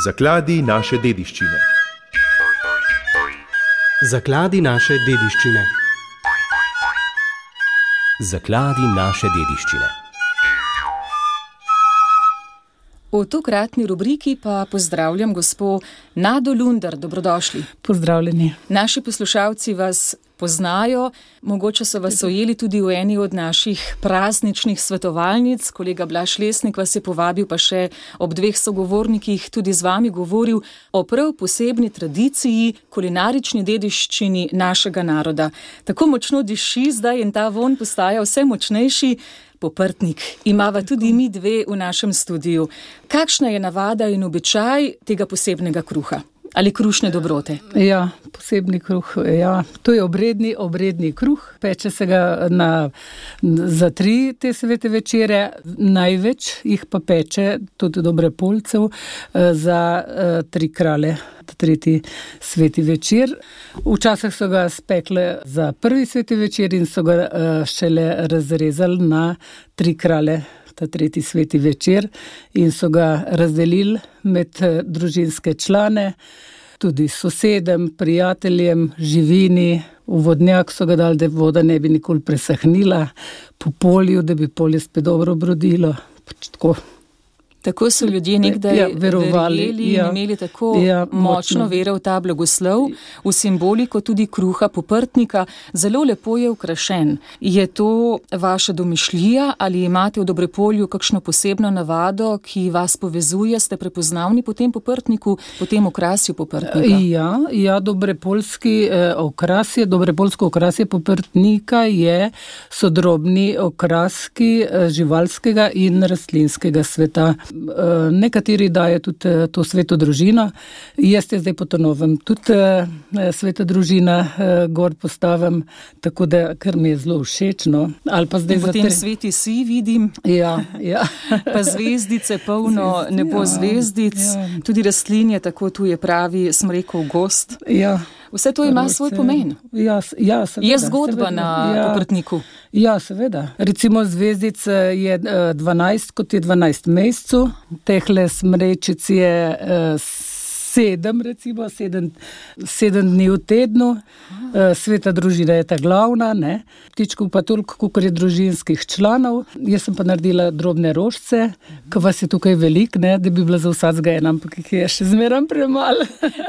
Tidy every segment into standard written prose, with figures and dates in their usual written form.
Zakladi naše dediščine. Zakladi naše dediščine. Zakladi naše dediščine. V tokratni rubriki pa pozdravljam gospo Nado Lunder. Dobrodošli. Pozdravljeni. Naši poslušalci vas poznajo, mogoče so vas ujeli tudi v eni od naših prazničnih svetovalnic. Kolega Blaž Lesnik vas je povabil, pa še ob dveh sogovornikih tudi z vami govoril o prav posebni tradiciji, kulinarični dediščini našega naroda. Tako močno diši zdaj in ta vonj postaja vse močnejši. Poprtnik. Imava tudi mi dve v našem studiu. Kakšna je navada in običaj tega posebnega kruha? Ali krušne dobrote? Ja, posebni kruh, ja. To je obredni kruh. Peče se ga za 3 te svete večere. Največ jih pa peče, tudi Dobrepolcev, za 3 kralje. 3. sveti večer. Včasih so ga spekle za 1. sveti večer in so ga šele razrezali na 3 kralje, ta 3. sveti večer, in so ga razdelili med družinske člane, tudi sosedem, prijateljem, živini. V vodnjak so ga dali, da voda ne bi nikoli presahnila, po polju, da bi polje spet dobro obrodilo. Tako so ljudje nekdaj verjeli in imeli tako močno vero v ta blagoslov, v simboliko tudi kruha poprtnika. Zelo lepo je ukrašen. Je to vaša domišljija ali imate v Dobrepolju kakšno posebno navado, ki vas povezuje? Ste prepoznavni po tem poprtniku, po tem okrasju poprtnika? Ja, Dobrepolsko okrasje poprtnika je sodrobni okraski živalskega in rastlinskega sveta. Nekateri daje tudi to sveto družino. Jaz je zdaj po to novem tudi sveta družina gor postavim, tako da, ker mi je zelo všečno. Ali pa zdaj potem sveti si vidim. Ja. Pa zvezdice, polno nebo zvezdic. Ja. Tudi rastlinje, tako tu je pravi, smo rekel, gost. Ja. Vse to ima svoj pomen. Ja, seveda. Je zgodba na poprtniku. Ja, seveda. Recimo zvezdic je 12, kot je 12 mesecev. Tehle smrečic je 7, recimo, 7 dni v tednu. Sveta družina je ta glavna, ne. Ptičkov pa toliko, koliko je družinskih članov. Jaz sem pa naredila drobne rožice, ko vas je tukaj veliko, ne, da bi bila za vsakega ena, ampak jih je še zmeraj premalo.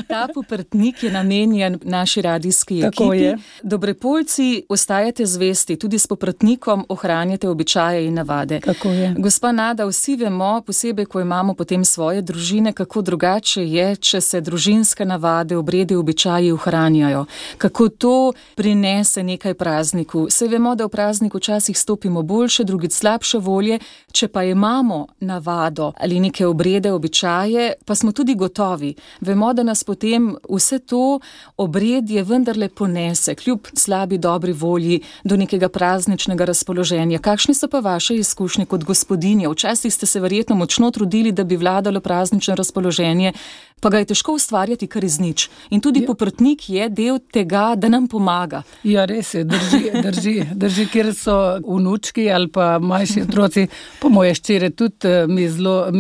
Ta poprtnik je namenjen naši radijski ekipi. Tako je. Dobrepolci, ostajate zvesti, tudi s poprtnikom ohranjate običaje in navade. Tako je. Gospa Nada, vsi vemo, posebej, ko imamo potem svoje družine, kako drugače je, če se družinske navade, obredi, običaji ohranjajo. Kako to prinese nekaj prazniku. Saj vemo, da v prazniku včasih stopimo boljše, drugič slabše volje, če pa imamo navado ali neke obrede, običaje, pa smo tudi gotovi. Vemo, da nas potem vse to obredje vendarle ponese, kljub slabi dobri volji, do nekega prazničnega razpoloženja. Kakšne so pa vaše izkušnje kot gospodinje? Včasih ste se verjetno močno trudili, da bi vladalo praznično razpoloženje, pa ga je težko ustvarjati kar iz nič. In tudi poprtnik je del tega, da nam pomaga. Ja, res je, drži, kjer so vnučki ali pa manjši otroci, po moje ščere tudi mi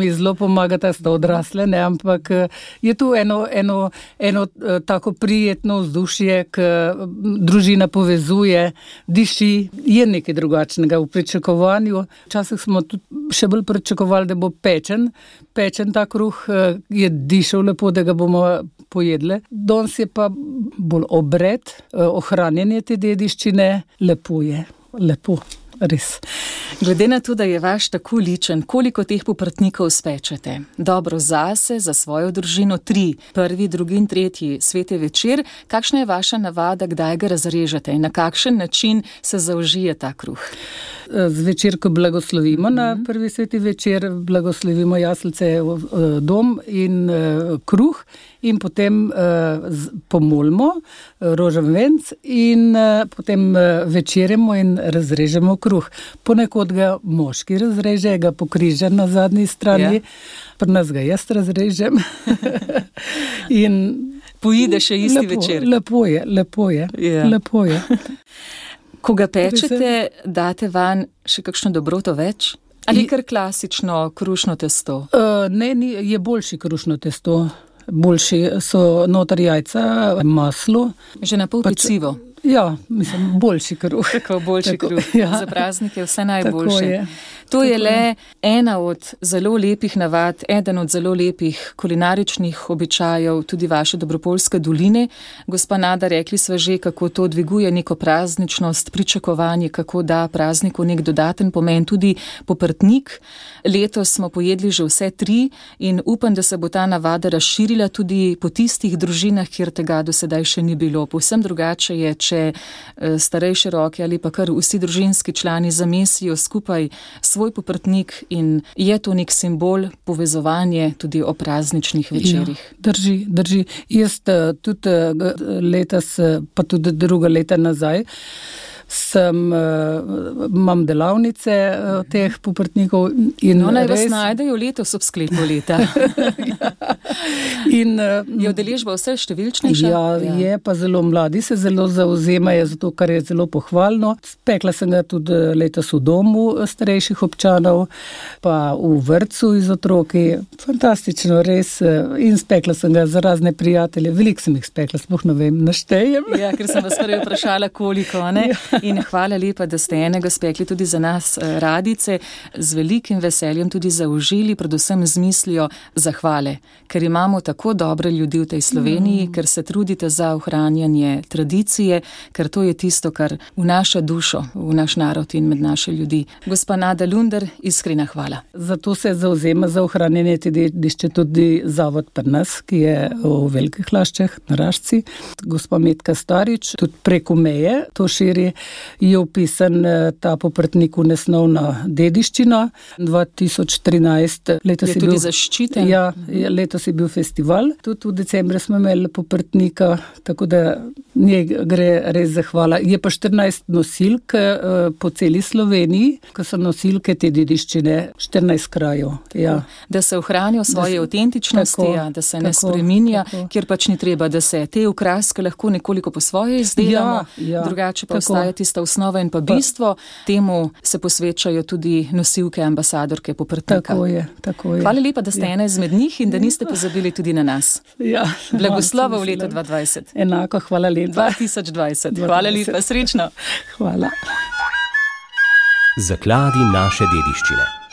zelo pomagata, sta odrasle, ne, ampak je tu eno tako prijetno vzdušje, ki družina povezuje, diši, je nekaj drugačnega v pričakovanju. Včasih smo tudi še bolj pričakovali, da bo pečen ta kruh, je dišel lepo, da ga bomo pojedle. Danes je pa bolj obred, ohranjanje te dediščine, lepo je, res. Glede na to, da je vaš tako ličen, koliko teh poprtnikov spečete? Dobro zase, za svojo družino 3, 1., 2. in 3. sveti večer. Kakšna je vaša navada, kdaj ga razrežete in na kakšen način se zaužije ta kruh? Zvečer, ko blagoslovimo na 1. sveti večer, blagoslovimo jaslice, dom in kruh in potem pomolimo rožen venc in potem večerjemo in razrežemo kruh. Ponekod ga moški razreže, ga pokriže na zadnji strani, pri nas ga jaz razrežem. In poide še isti večer. Lepo je. Ko ga pečete, date van še kakšno dobroto več? Ali kar klasično krušno testo? Ne, je boljši krušno testo. Boljši so noter jajca, maslo. Že na pol pecivo. Ja, mislim, boljši kruh. Tako, boljši kruh. Ja. Za praznike vse najboljše. To je le ena od zelo lepih navad, eden od zelo lepih kulinaričnih običajev tudi vaše Dobropoljske doline. Gospa Nada, rekli sva že, kako to dviguje neko prazničnost, pričakovanje, kako da prazniku nek dodaten pomen, tudi poprtnik. Letos smo pojedli že vse 3 in upam, da se bo ta navada razširila tudi po tistih družinah, kjer tega do sedaj še ni bilo. Povsem drugače je, če starejše roke ali pa kar vsi družinski člani zamesijo skupaj svoj poprtnik in je to nek simbol povezovanja tudi o prazničnih večerih. Ja, drži. Jaz tudi letos, pa tudi druga leta nazaj, imam delavnice teh poprtnikov. Naj vas najdejo letos ob sklepu leta. Je udeležba vse številčnejša? Ja, je pa zelo mladi, se zelo zauzemajo za to, kar je zelo pohvalno. Spekla sem ga tudi letos v domu starejših občanov, pa v vrtcu iz otroki. Fantastično, res. In spekla sem ga za razne prijatelje. Veliko sem jih spekla, sploh ne vem, naštejem. Ja, ker sem vas prvi vprašala, koliko, ne? In hvala lepa, da ste enega spekli tudi za nas radice, z velikim veseljem tudi zaužili, predvsem z mislijo zahvale, ker imamo tako dobre ljudi v tej Sloveniji, ker se trudite za ohranjanje tradicije, ker to je tisto, kar vnaša dušo v naš narod in med naše ljudi. Gospa Nada Lunder, iskrena hvala. Zato se zauzema za ohranjanje te dediščine tudi zavod pri nas, ki je v Velikih Laščah na Rašci. Gospa Metka Starič, tudi preko meje to širi, je upisan ta poprtnik v nesnovno dediščino. 2013 letos je tudi bil zaščiten. Ja, letos je bil festival. Tudi v decembru smo imeli poprtnika, tako da njej gre res zahvala. Je pa 14 nosilk po celi Sloveniji, ko so nosilke te dediščine, 14 krajev. Ja. Da se ohranijo svoje avtentičnosti, da se ne spreminja, kjer pač ni treba, da se te okraske lahko nekoliko po svoje izdelamo, drugače pa ostaja tista osnova in pa bistvo. Temu se posvečajo tudi nosilke ambasadorke poprtnika. Tako je. Hvala lepa, da ste ena izmed njih in da niste pozabili tudi na nas. Ja. Blagoslova v letu 2020. Enako, hvala lepa. 2020. Hvala lepa, srečno. Hvala. Zakladi naše dediščine.